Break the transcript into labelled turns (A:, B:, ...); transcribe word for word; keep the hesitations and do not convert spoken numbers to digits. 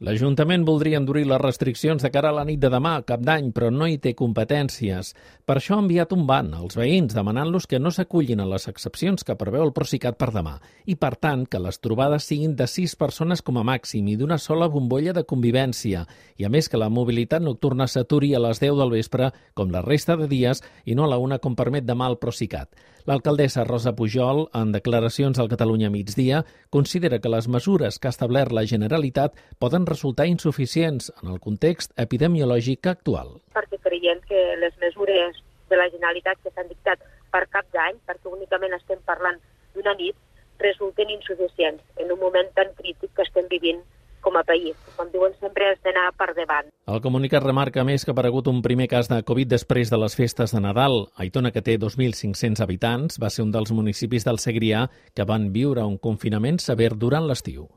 A: L'Ajuntament voldria endurir les restriccions de cara a la nit de demà, Cap d'Any, però no hi té competències. Per això ha enviat un ban als veïns demanant-los que no s'acullin a les excepcions que preveu el Procicat per demà i, per tant, que les trobades siguin de sis persones com a màxim i d'una sola bombolla de convivència. I, a més, que la mobilitat nocturna s'aturi a les deu del vespre, com la resta de dies, i no a la una com permet demà el Procicat. L'alcaldessa Rosa Pujol, en declaracions al Catalunya Migdia, considera que les mesures que ha establert la Generalitat poden resultar insuficients en el context epidemiològic actual.
B: Perquè creiem que les mesures de la Generalitat que s'han dictat per Cap d'Any, perquè únicament estem parlant d'una nit, resulten insuficients en un moment tan crític que estem vivint com a país. Com diuen, sempre has d'anar per davant.
A: El comunicat remarca més que ha aparegut un primer cas de Covid després de les festes de Nadal. Aitona, que té dos mil cinc-cents habitants, va ser un dels municipis del Segrià que van viure un confinament sever durant l'estiu.